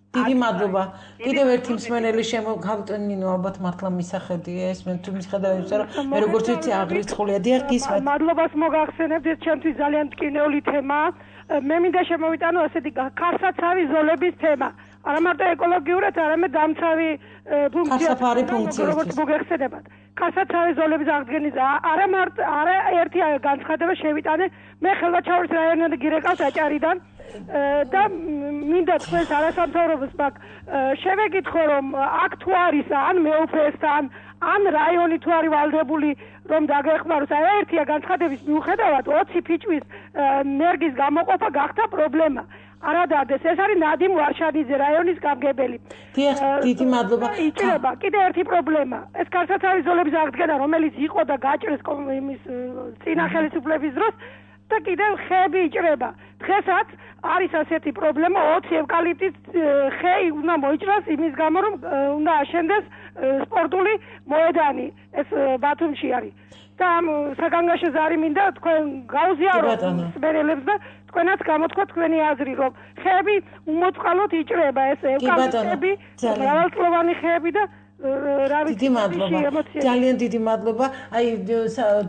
დიდი მადლობა. კიდევ ერთი მსმენელი შემოგავტნინო, ალბათ მართლა მისახედია ეს, მე თუ მისხედავთ, რომ მე როგორც ვიცი აღრიცხულია. დიახ, გისმენთ. მადლობას მოგახსენებთ, ეს ჩემთვის ძალიან ტკინეული თემაა. მე მინდა შემოვიტანო ასეთი ქარსაცავი ზოლების თემა. არა მარტო ეკოლოგიურად, არამედ დამცავი ფუნქცია, როგორც მოგეხსენებათ. ქარსაცავი ზოლების აღდგენის არა ერთი განცხადება შევიტანე. მე ხელვაჩაურის რაიონიდან გირეკავს აჭარიდან. და მინდა თქვენს არასამთავრობოს მაგ შევეკითხო, რომ აქ თუ არის ან მეუფესთან, ან რაიონი თუ არის ვალდებული, რომ დაგეხმაროს. აი ერთია განცხადების მიუხედავად 20 ფიჭვის ნერგის გამოყოფა გახდა პრობლემა. არადარდეს, ეს არის ნადიმ ვარშანიძე, რაიონის გამგებელი. დიდი მადლობა. იჭრება კიდე ერთი პრობლემა. ეს ქარსაცავის ზოლების აღდგენა, რომელიც იყო და გაჭრეს იმის წინა ხელისუფლების დროს და კიდევ ხეები იჭრება. დღესაც არის ასეთი პრობლემა, 20 ევკალიპტის ხეი უნდა მოიჭრას იმის გამო, რომ უნდა აშენდეს სპორტული მოედანი. ეს ბათუმში არის. და ამ საგანგაშო ზარი მინდა თქვენ გაუზიაროთ მსმენელებს და თქვენაც გამოთქვა თქვენი აზრი, რომ ხეები უმოწყალოდ იჭრება, ეს ევკალიპტები, მრავალწლოვანი ხეები და დიდი მადლობა. ძალიან დიდი მადლობა. აი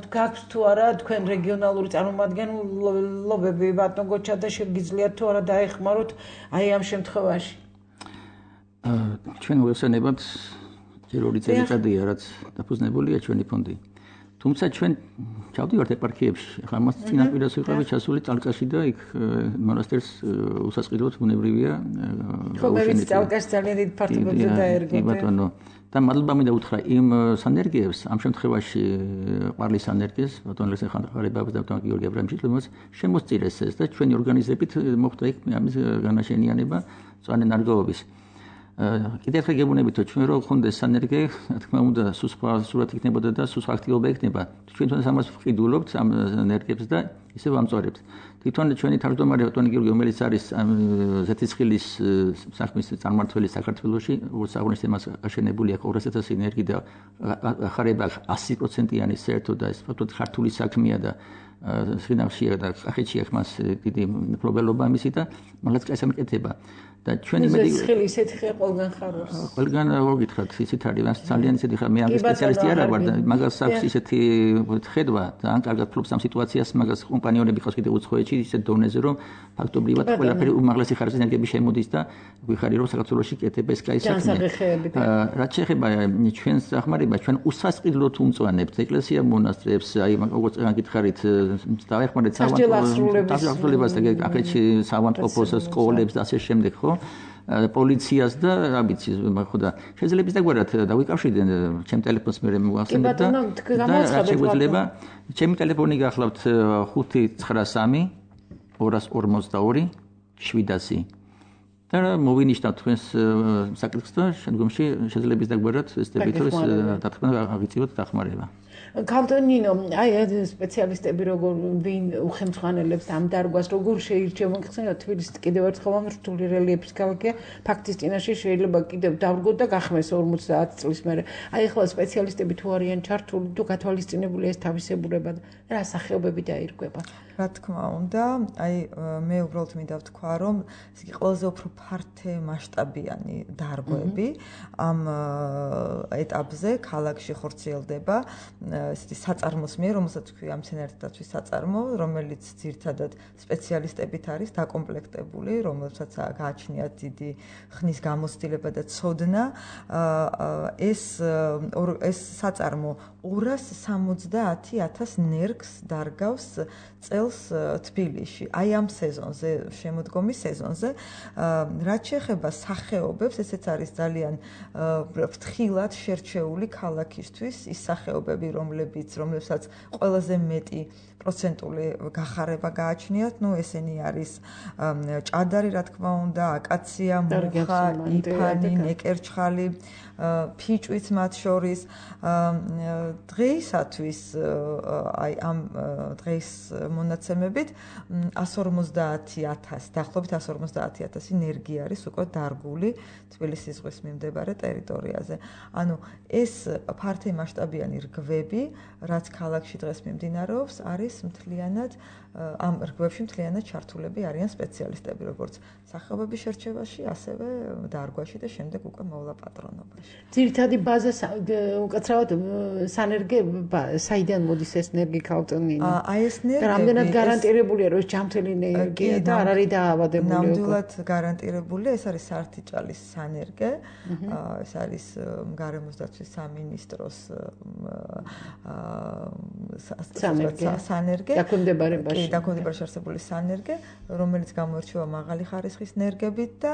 გაქვს თუ არა თქვენ რეგიონალური წარმომადგენლობები ბატონ გოჩა და შეგიძლიათ თუ არა დაეხმაროთ აი ამ შემთხვევაში. ჩვენ ვესწრებთ ჯერ 2 წელიწადია რაც დაფუძნებულია ჩვენი ფონდი. თუმცა ჩვენ ჩავდივართ ეპარქიებში, ახლა მას წინაპირას ვიყავი ჩასული წალკაში და იქ მონასტერს უსასყიდლოდ ბუნებრივია. ხო, მე ვიცი წალკაში ძალიან დიდ ფართობებზე დაერგოთ. კი ბატონო. და მადლობა მინდა უთხრა იმ სანერგეებს, ამ შემთხვევაში ყვარლის სანერგეს, ბატონ ლესე ხანხარებაბას და ბატონ გიორგი აბრამიშვილი შემოსწირეს ეს და ჩვენი ორგანიზებით მოხდა იქ ამის განაშენიანება წვანე ნარგავობის. კიდევ ხე გებუნებითო ჩვენ რო ხონდეს სანერგე, თქმა უნდა, სხვა სურათი იქნებოდა და სხვა აქტივობა იქნება. ჩვენ თვითონ ამას ვყიდულობთ ამ ენერგიებს და ისე ვამწვარებთ. თვითონ ჩვენი თავმჯდომარე ბატონი გიორგი, რომელიც არის ზეთისხილის საქმის წარმმართველი საქართველოში, როგორც აღნიშნეთ, მას აშენებული აქვს 200,000 ენერგი და ხარება 100%-იანი საერთოდ და ეს ფაქტობრივად ქართული საქმეა და სინახშია და კახეთში აქვს მას დიდი მფლობელობა ამისი და მართლაც კაისამკეთება. და ჩვენი ზეთისხილი ისეთი ხე ყველგან ხარობს. ყველგან მოგითხრათ, ისეთ არის ძალიან ისეთი ხა მე ამის სპეციალისტი არ ვარ და მაგას აქვს ისეთი ხედვა და ან კარგად ფლობს ამ სიტუაციას, მაგას კომპანიონები ყავს კიდე უცხოეთში ისეთ დონეზე, რომ ფაქტობრივად ყველაფერი უმაღლესი ხარისხის ენერგიები შემოდის და ვიხარი რომ საქართველოში კეთება ეს კაი საქმე. რაც შეეხება ჩვენს დახმარებას, ჩვენ უსასყიდლოდ უმწვანებთ ეკლესია მონასტრებს, აი როგორც გითხარით, დავეხმარეთ საავადმყოფოს და კახეთში საავადმყოფოს, სკოლებს და ასე შემდეგ, ხო? პოლიციას და რა ვიცი, ხო და შეიძლება დაგვარად დავიკავშირდნენ ჩემ ტელეფონს მე მოვახსენებ და შეგვიძლია ჩემი ტელეფონი გახლავთ 593 242 700 და მოვინიშნავთ თქვენს საკითხს და შემდგომში შეიძლება დაგვარად ესწრებით რომ დათქმა აღიწევოთ დახმარება. ქალტონინო, აი სპეციალისტები როგორ ვინ უხელმძღვანელებს ამ დარგვას, როგორ შეირჩევენ, ხსენებთ თბილისით კიდევ ერთხელ ამ რთული რელიეფის ქალაქია, ფაქტის წინაშე შეიძლება კიდევ დავრგოთ და გახმეს 50 წლის მერე. აი ახლა სპეციალისტები თუ არიან ჩართული, თუ გათვალისწინებული ეს თავისებურება და რა სახეობები დაირგვება. რა თქმა უნდა, აი მე უბრალოდ მინდა ვთქვა, რომ ეს იგი ყველაზე უფრო ფართე მასშტაბიანი დარგვები ამ ეტაპზე ქალაქში ხორციელდება. ესეთი საწარმოს მიერ, რომელსაც ქვია მცენარეთა დაცვის საწარმო, რომელიც ძირითადად სპეციალისტებით არის დაკომპლექტებული, რომელსაც გააჩნიათ დიდი ხნის გამოცდილება და ცოდნა. ეს საწარმო 270,000 ნერგს დარგავს წელს თბილისში. აი ამ სეზონზე, შემოდგომის სეზონზე, რაც შეეხება სახეობებს, ესეც არის ძალიან ფრთხილად შერჩეული ქალაქისთვის ის სახეობები, რომლებსაც ყველაზე მეტი პროცენტული გახარება გააჩნიათ, ესენი არის ჭადარი, რა თქმა უნდა, აკაცია, მუხა, იფანი, ნეკერჩხალი, ფიჭვიც მათ შორის. დღეისათვის აი ამ დღის მონაცემებით 150,000, დაახლოებით 150,000 ენერგი არის უკვე დარგული თბილისის ზღვის მიმდებარე ტერიტორიაზე. ანუ ეს ფართე მასშტაბიანი რგვები, რაც ქალაქში დღეს მიმდინარეობს, არის მთლიანად ამ რგვებში მთლიანად ჩართულები არიან სპეციალისტები, როგორც სახეობების შერჩევაში, ასევე დარგვაში და შემდეგ უკვე მოვლაპატრონობაში. ძირითადი ბაზა უკაცრავად სანერგე საიდან მოდის ეს ენერგი ქალტონინო? აი ეს ენერგი რამდენად გარანტირებულია, რომ ეს ჯამთელი ენერგია და არ არის დაავადებული? ნამდვილად გარანტირებულია, ეს არის სართიჭალის სანერგე, ეს არის გარემოს დაცვის სამინისტროს სანერგე. დაქვემდებარებაში არსებული სანერგე, რომელიც გამოირჩევა მაღალი ხარისხის ენერგებით და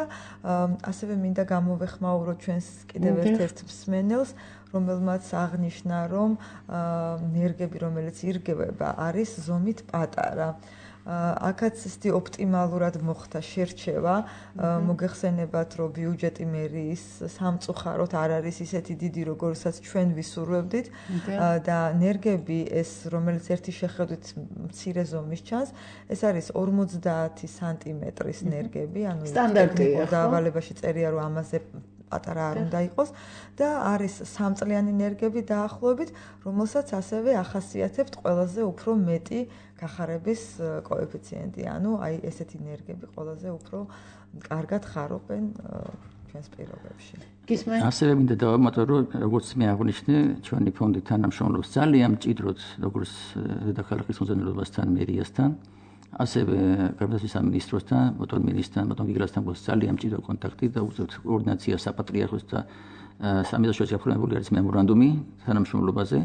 ასევე მინდა გამოვეხმაურო ჩვენს კიდევ ერთ მსმენელს, რომელმაც აღნიშნა, რომ ენერგები, რომელიც ირგევება, არის ზომით პატარა. აქაც ისეთი ოპტიმალურად მოხდა შერჩევა, მოგეხსენებათ, რომ ბიუჯეტი მერიის სამწუხაროდ არ არის ისეთი დიდი, როგორცაც ჩვენ ვისურვებდით და ენერგები ეს, რომელიც ერთი შეხედვით მცირე ზომის ჩანს, ეს არის 50 სანტიმეტრის ენერგები, ანუ სტანდარტია. დაავალებაში წერია, რომ ამაზე პატარა არ უნდა იყოს და არის სამწლიანი ენერგები დაახლოებით, რომელსაც ასევე ახასიათებთ ყველაზე უფრო მეტი გახარების კოეფიციენტი. ანუ აი ესეთი ენერგები ყველაზე უფრო კარგად ხარობენ ჩვენს პირობებში. ასევე მინდა დავამატო, რომ როგორც მე აღნიშნე, ჩვენი ფონდი თანამშრომლობს ძალიან მჭიდროდ როგორც დედაქალაქის მოზანილობასთან, მერიასთან, ასევე გარდაცვის სამინისტროსთან, ბატონ მინისტრთან, ბატონ გიგრასთან გვაქვს ძალიან მჭიდრო კონტაქტი და უწევთ კოორდინაცია საპატრიარქოს და სამედროვე გაფორმებული არის მემორანდუმი თანამშრომლობაზე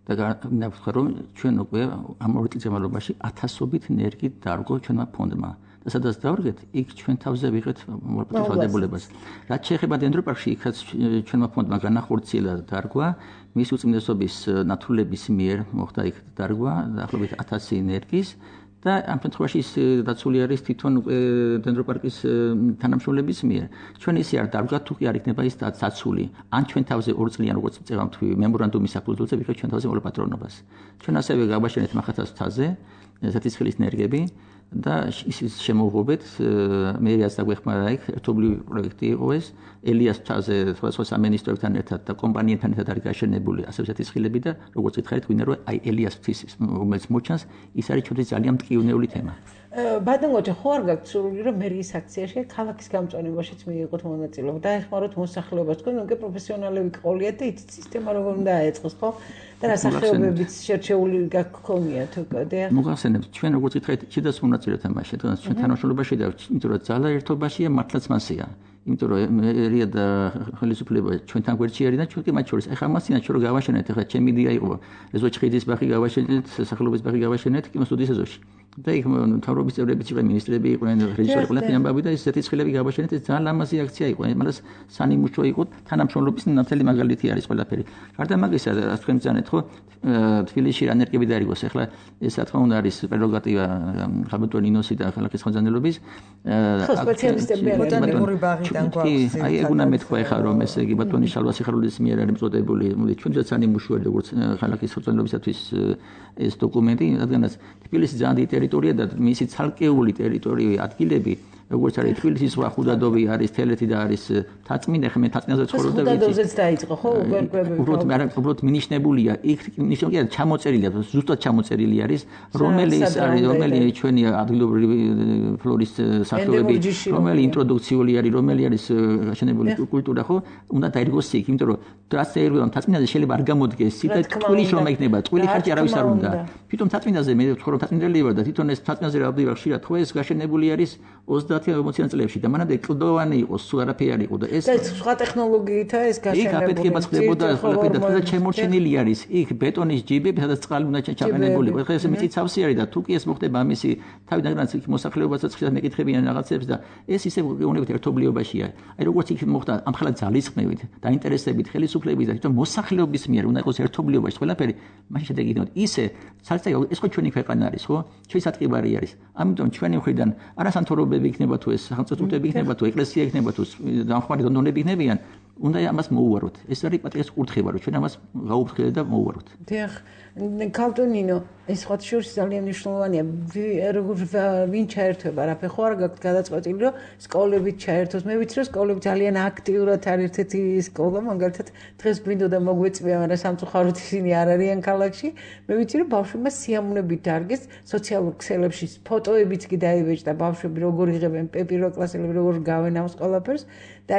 და ნახავთ რომ ჩვენ უკვე ამ 2 წლის განმავლობაში 1000-ობით ნერგით დარგო ჩვენმა ფონდმა. და სადაც დავრგეთ, იქ ჩვენ თავზე ვიღეთ მოწესრიგებას. რაც შეეხება დენდროპარკში, იქაც ჩვენმა ფონდმა განახორციელა დარგვა, მის უწმინდესობის ნათურლების მიერ მოხდა იქ დარგვა, დაახლოებით 1000 ნერგის და ამ შემთხვევაში ის დაცული არის თვითონ დენდროპარკის თანამშრომლების მიერ. ჩვენ ისე არ დავდგათ თუ კი არ იქნება ის დაცული. ან ჩვენ თავზე 2 წლიან როგორც წევა მთვი მემორანდუმის საფუძველზე ვიღეთ ჩვენ თავზე მოლაპარაკებელ პატრონობას. ჩვენ ასევე გავაშენეთ მახათას მთაზე სათისხლის ნერგები და ის შემოუღობეთ მე რაც დაგვეხმარა იქ ერთობლივი პროექტი იყო ეს ელიას მთაზე სხვა სამინისტროებთან ერთად და კომპანიებთან ერთად არის გაშენებული ასევე სათისხლები და როგორც ითხარით ვინმე რომ აი ელიას მთის რომელიც მოჩანს ის არის ჩვენთვის ძალიან მტკივნეული თემა. ბადონოჯა ხო არ გაქვთ სურვილი რომ მერიის აქციაში ქალაქის გამწვანებაშიც მიიღოთ მონაწილეობა და ეხმაროთ მოსახლეობას თქვენ უკვე პროფესიონალები ყოლიათ და იცით სისტემა როგორ უნდა აეწყოს ხო და რა სახეობებიც შერჩეული გქონიათ უკვე მოგახსენებთ ჩვენ როგორც ითხარით შედას მონაწილეობთ ამაში თუნდაც ჩვენ თანამშრომლობაში და იმიტომ რომ ძალა ერთობაშია მართლაც მასია იმიტომ რომ მერია და ხელისუფლება ჩვენთან გვერდში არის და ჩვენ კი მათ შორის ეხლა მასინა ჩვენ რომ გავაშენეთ ეხლა ჩემი იდეა იყო ეზოჩხიძის ბაღი გავაშენეთ სახელობის ბაღი გავაშენეთ კინოსტუდიის ეზოში და იქ მთავრობის წევრებიც იყვნენ მინისტრები იყვნენ რეჟისორები ყველაფერი ამბავი და ეს სათისხლები გავაშენეთ ეს ძალიან ლამაზი აქცია იყო იმას სანიმუშო იყო თანამშრომლობის ნათელი მაგალითი არის ყველაფერი გარდა მაგისა რაც თქვენ ბრძანეთ ხო თბილისში რა ნერგები დაარიგოს ეხლა ეს რა თქმა უნდა არის პრეროგატივა ხალბატონ ინოსი და ქალაქის ხელმძღვანელობის ხო სპეციალისტები ბოტანიკური ბაღიდან გვაქვს აი ეგ უნდა მეთქვა ეხლა რომ ესე იგი ბატონი შალვა სიხარულის მიერ არის მწოდებული მოდი ჩვენც სანიმუშოა როგორც ქალაქის ხელმძღვანელობისათვის ეს დოკუმენტი რადგანაც თბილისი ძალიან დიდი ტერიტორია და მისი ცალკეული ტერიტორიული ადგილები როგორც არის თბილისის სხვა ხუდადოვი არის თელეთი და არის თაწმინდა ხმე თაწმინდაზე ცხოვრობ და ხუდადოვზეც დაიწყო ხო უბრალოდ მინიშნებულია იქ ნიშნულია ჩამოწერილია ზუსტად ჩამოწერილი არის რომელი ჩვენი ადგილობრივი ფლორის სახეობები რომელი ინტროდუქციული არის რომელი არის გაშენებული კულტურა ხო უნდა დაირგოს იქ იმიტომ რომ ტრასერგონ თაწმინდაზე შეიძლება არ გამოდგეს სიტა ტყუილი რომ იქნება ტყუილი ხარჯი არავის არ უნდა თვითონ თაწმინდაზე მე ვთქვა რომ თაწმინდელი ვარ და თვითონ ეს თაწმინდაზე რა ვდივარ ხშირად ხო ეს გაშენებული არის 30-40 წლებში და მანამდე კლდოვანი იყო, სულ არაფერი არ იყო და ეს სხვა ტექნოლოგიითაა ეს გაშენებული. იქ აფეთქება ხდებოდა ყველაფერი და შემორჩენილი არის. იქ ბეტონის ჯიბები, სადაც წყალი უნდა ჩაყენებული. ხო ეს მიწისავსი არის და თუ კი ეს მოხდება ამისი თავიდანაც იქ მოსახლეობასაც ხშირად მეკითხებიან რაღაცებს და ეს ისე გეუბნებით ერთობლიობაშია. აი როგორც იქ მოხდა ამხელა ძალისხმევით, დაინტერესებით ხელისუფლების და თვითონ მოსახლეობის მიერ უნდა იყოს ერთობლიობაში ყველაფერი, მაშინ შედეგი იქნება. ისე საერთოდ ეს ხო ჩვენი ქვეყანა არის, ხო? ჩვენი სატყიბარი არის. ამიტომ ჩვენი მხრიდან არასანთორობები იქნება თუ ეს სახელმწიფოები იქნება თუ ეკლესია იქნება თუ დამხმარე დონორები იქნებიან უნდა ამას მოუვაროთ ეს არის პატრიოტის კურთხევა რომ ჩვენ ამას გაუფრთხილდეთ და მოუვაროთ დიახ კალტონინო ეს სხვა შორის ძალიან მნიშვნელოვანია როგორ ვინ ჩაერთვება რაფე ხო არ გაქვთ გადაწყვეტილი რომ სკოლებით ჩაერთოს მე ვიცი რომ სკოლები ძალიან აქტიურად არის ერთ-ერთი სკოლა მაგალითად დღეს გვინდოდა მოგვეწვია მაგრამ სამწუხაროდ ისინი არ არიან ქალაქში მე ვიცი რომ ბავშვებმა სიამოვნებით დარგეს სოციალურ ქსელებში ფოტოებიც კი დაიბეჭდა ბავშვები როგორ იღებენ პირველ კლასელები როგორ გავენ ამ ყველაფერს და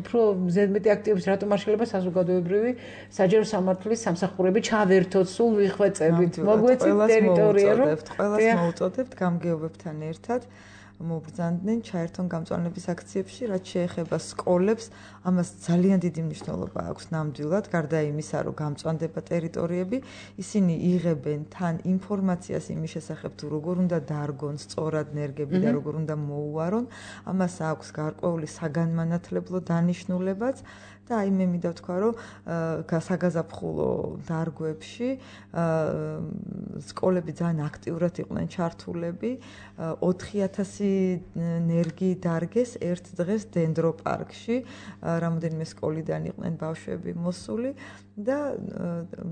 უფრო ზედმეტი აქტივობის რატომ არ შეიძლება საზოგადოებრივი საჯარო სამართლის სამსახურები ჩავერთოთ სულ ვიხვეწებით მოგვეცით ტერიტორია რომ ყველას მოუწოდებთ გამგეობებთან ერთად მობრძანდნენ ჩაერთონ გამწვანების აქციებში რაც შეეხება სკოლებს ამას ძალიან დიდი მნიშვნელობა აქვს ნამდვილად გარდა იმისა რომ გამწვანდება ტერიტორიები ისინი იღებენ თან ინფორმაციას იმის შესახებ თუ როგორ უნდა დარგონ სწორად ნერგები და როგორ უნდა მოუვარონ ამას აქვს გარკვეული საგანმანათლებლო დანიშნულებაც და აი მე მინდა ვთქვა რომ გასაგაზაფხულო დარგვებში სკოლები ძალიან აქტიურად იყვნენ ჩართულები 4000 ნერგი დარგეს ერთ დღეს დენდროპარკში რამოდენიმე სკოლიდან იყვნენ ბავშვები მოსული და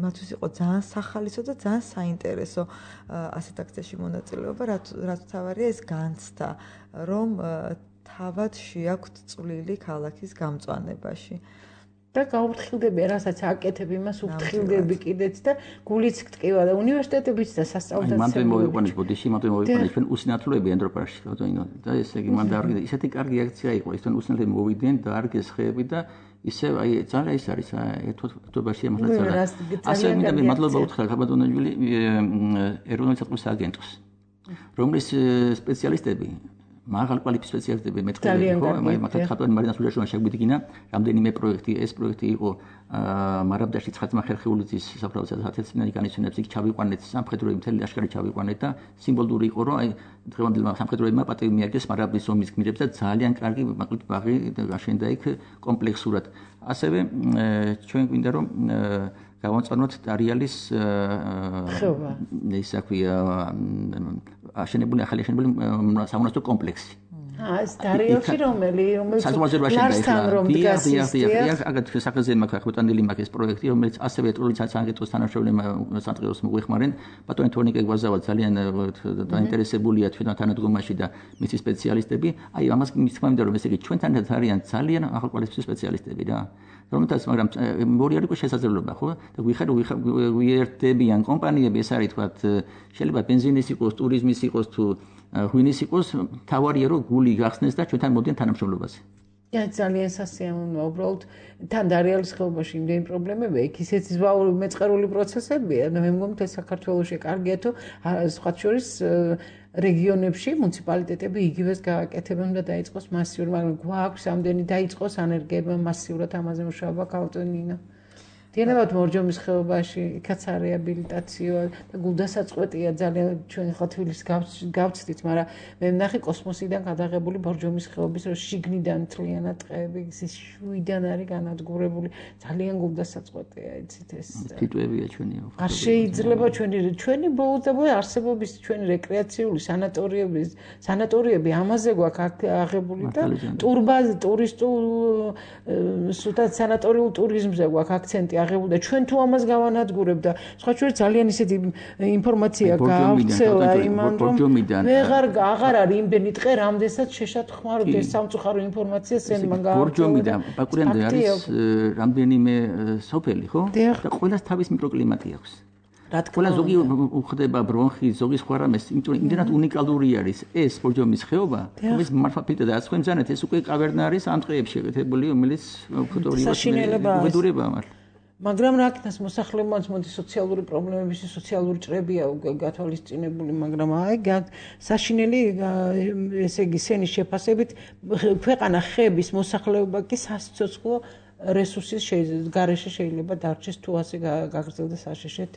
მათთვის იყო ძალიან სახალისო და ძალიან საინტერესო ასეთ აქციაში მონაწილეობა რაც თავარია ეს განცდა რომ თავად შეაქვთ წვლილი ქალაქის გამწვანებაში და გაუფრთხილდები რასაც აკეთებ იმას უფრთხილდები კიდეც და გულიც გტკივა და უნივერსიტეტებიც და სასწავლებელი მანდ მოვიყვანეს ბოდიში მანდ მოვიყვანეს ჩვენ უსინათლოები ენდროპარკში ბატონო და ესე იგი მანდ არ ისეთი კარგი აქცია იყო ის თან უსინათლოები მოვიდნენ და არგეს ხეები და ისე აი ძალიან ის არის ერთობაში ამას ძალიან ასე მინდა მე მადლობა უთხრა ხაბატონაშვილი ეროვნული საწყის აგენტოს რომლის სპეციალისტები მაღალ კვალიფიცირებული სპეციალისტები მეტყველები ხო მაგათ ხატვანი მარინას ულაშოვან შეგვიდგინა რამდენიმე პროექტი ეს პროექტი იყო მარაბდაში ცხადმა ხერხეულიძის საფრთხის 1000-წლიანი განისვენებს იქ ჩავიყვანეთ სამხედროები მთელი ლაშქარი ჩავიყვანეთ და სიმბოლური იყო რომ აი დღევანდელმა სამხედროებმა პატივი მიაგეს მარაბდის ომის გმირებს და ძალიან კარგი მაკლით ბაღი გაშენდა იქ კომპლექსურად ასევე ჩვენ გვინდა რომ გავამწვანოთ დარიალის ის აქვია აშენებული ახალი აშენებული სამონასტრო კომპლექსი ეს დარიელში რომელიც ლარსთან რომ დგას აგათ სახეზე მაქვს ახბოტანილი მაქვს ეს პროექტი რომელიც ასევე ეტროლიცა სანგეტოს თანამშრომლებმა სანტყეოს მოგვეხმარენ ბატონი თორნიკე გვაზავა ძალიან დაინტერესებულია ჩვენთან თანადგომაში და მისი სპეციალისტები აი ამას მithმა მინდა რომ ესე იგი ჩვენთან არიან ძალიან ახალგაზრდა სპეციალისტები რა რომელთაც მაგრამ მორი არის შესაძლებლობა ხო და ვიერთდებიან კომპანიები ეს არის თქვა შეიძლება ბენზინის იყოს ტურიზმის იყოს თუ ღვინის იყოს თავარია რომ გული გახსნეს და ჩვენთან მოდიან თანამშრომლობაზე. ძალიან სასიამოვნოა უბრალოდ თან დარიალის ხეობაში იმდენი პრობლემებია იქ ისეთი მეწყერული პროცესებია და მე მგონი ეს საქართველოში კარგია თუ სხვა შორის რეგიონებში მუნიციპალიტეტები იგივეს გააკეთებენ და დაიწყოს მასიური მაგრამ გვაქვს ამდენი დაიწყოს ანერგება მასიურად ამაზე მუშაობა ქალტონინა დიანებად მორჯომის ხეობაში იქაც რეაბილიტაციო და გულდასაწყვეტია ძალიან ჩვენ ხა თბილისს გავცდით მაგრამ მე ვნახე კოსმოსიდან გადაღებული მორჯომის ხეობის რომ შიგნიდან თლიანად ტყეები ის შვიდან არის განადგურებული ძალიან გულდასაწყვეტია იცით ეს თიტვებია ჩვენი არ შეიძლება ჩვენი ბოლოდებული არსებობის ჩვენი რეკრეაციული სანატორიები ამაზე გვაქვს აღებული და ტურისტულ სულთან სანატორიულ ტურიზმზე გვაქვს აქცენტი აღებული და ჩვენ თუ ამას გავანადგურებ და სხვა შორის ძალიან ისეთი ინფორმაცია გაავრცელა იმან რომ აღარ არის იმდენი ტყე რამდენსაც შეშათხმარდეს სამწუხარო ინფორმაციას ელმა გაავრცელა ბორჯომიდან ბაკურიანზე არის რამდენიმე სოფელი ხო და ყველას თავის მიკროკლიმატი აქვს ყველა ზოგი უხდება ბრონხი ზოგი სხვა რამეს იმიტომ რომ იმდენად უნიკალური არის ეს ბორჯომის ხეობა რომელიც მართლაც და ასხვემზანეთ ეს უკვე კავერნა არის ამ ტყეებში შეგეთებული რომელიც ფოტორივას უბედურება მართლა მაგრამ რა ქნას მოსახლებმაც მოდი სოციალური პრობლემების სოციალური ჭრებია გათვალისწინებული მაგრამ აი საშინელი ესე იგი სენის შეფასებით ქვეყანა ხეების მოსახლეობა კი სასიცოცხლო რესურსის გარეშე შეიძლება დარჩეს თუ ასე გაგრძელდეს საშიშეთ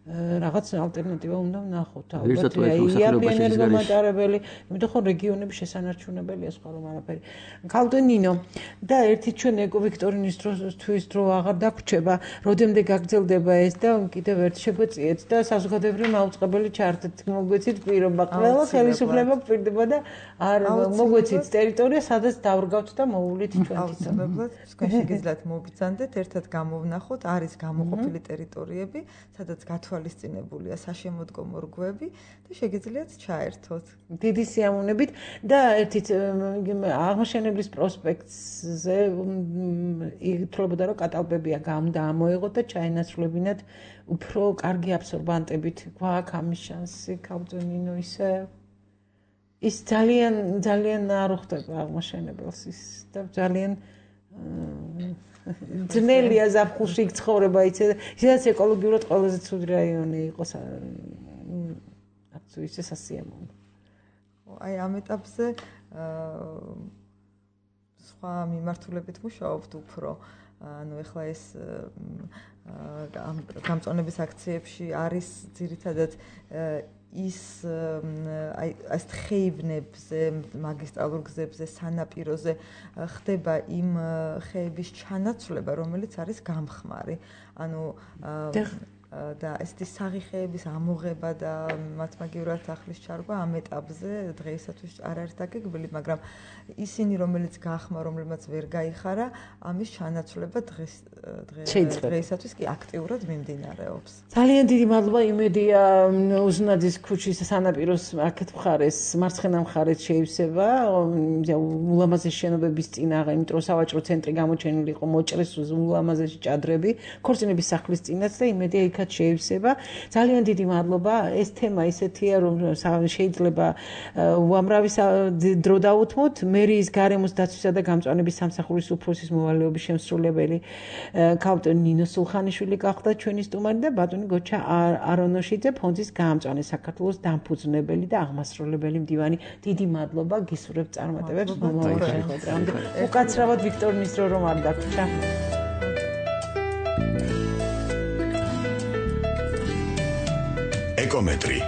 რაღაც ალტერნატივა უნდა ვნახოთ ალბათ იაპი ენერგომატარებელი იმიტომ რომ რეგიონები შესანარჩუნებელია სხვა რომ არაფერი ქალდენინო და ერთი ჩვენ ეკო ვიქტორინის დროსთვის დრო აღარ დაგვრჩება როდემდე გაგრძელდება ეს და კიდევ ერთ შეგვეციეთ და საზოგადოებრივი მაუწყებელი ჩართეთ მოგვეცით პირობა ყველა ხელისუფლება გვპირდება და არ მოგვეცით ტერიტორია სადაც დავრგავთ და მოულით ჩვენ აუცილებლად თქვენ შეგიძლიათ მოგბრძანდეთ ერთად გამოვნახოთ არის გამოყოფილი ტერიტორიები სადაც თვალისწინებულია საშემოდგომო რგოები და შეგიძლიათ ჩაერთოთ. დიდი სიამოვნებით და ერთით აღმაშენებლის პროსპექტზე ითვლებოდა რომ კატალბებია გამოეღოთ და ჩაენაცვლებინათ უფრო კარგი აბსორბანტებით. გვაქვს ამის შანსი ქავტონინო ისე ის ძალიან არ უხდება აღმაშენებელს ის და ძალიან ძნელია ზაფხულში ცხოვრება ისედაც ეკოლოგიურად ყველაზე ცუდი რაიონი იყოს აქ ისე სასიამოვნო. აი ამ ეტაპზე სხვა მიმართულებით მუშაობთ უფრო ანუ ეხლა ეს გამწონების აქციებში არის ძირითადად ის აი ეს ხეივნებზე, მაგისტრალურ გზებზე, სანაპიროზე ხდება იმ ხეების ჩანაცვლება, რომელიც არის გამხმარი. ანუ და ესეთი საღიხეების ამოღება და მათ მაგივრად ახლის ჩარგვა ამ ეტაპზე დღეისათვის არ არის დაგეგმილი, მაგრამ ისინი რომელიც გახმა, რომლებმაც ვერ გაიხარა, ამის ჩანაცვლება დღეისათვის კი აქტიურად მიმდინარეობს. ძალიან დიდი მადლობა იმედია უზნაძის ქუჩის სანაპიროს აქეთ მხარეს, მარცხენა მხარეს შეივსება ულამაზესი შენობების წინაღე, იმიტომ რომ სავაჭრო ცენტრი გამოჩენილი იყო მოჭრეს ულამაზესი ჭადრები, ქორწინების სახლის წინაც და იმედია იქ იქაც შეივსება. ძალიან დიდი მადლობა. ეს თემა ისეთია, რომ შეიძლება უამრავი დრო დაუთმოთ. მერიის გარემოს დაცვისა და გამწვანების სამსახურის უფროსის მოვალეობის შემსრულებელი ქალბატონი ნინო სულხანიშვილი გახდა ჩვენი სტუმარი და ბატონი გოჩა არონოშიძე ფონდის გაამწვანე საქართველოს დამფუძნებელი და აღმასრულებელი მდივანი. დიდი მადლობა, გისურვებთ წარმატებებს მომავალ შეხვედრამდე. უკაცრავად ვიქტორ რომ არ დაგვრჩა. ეკომეტრი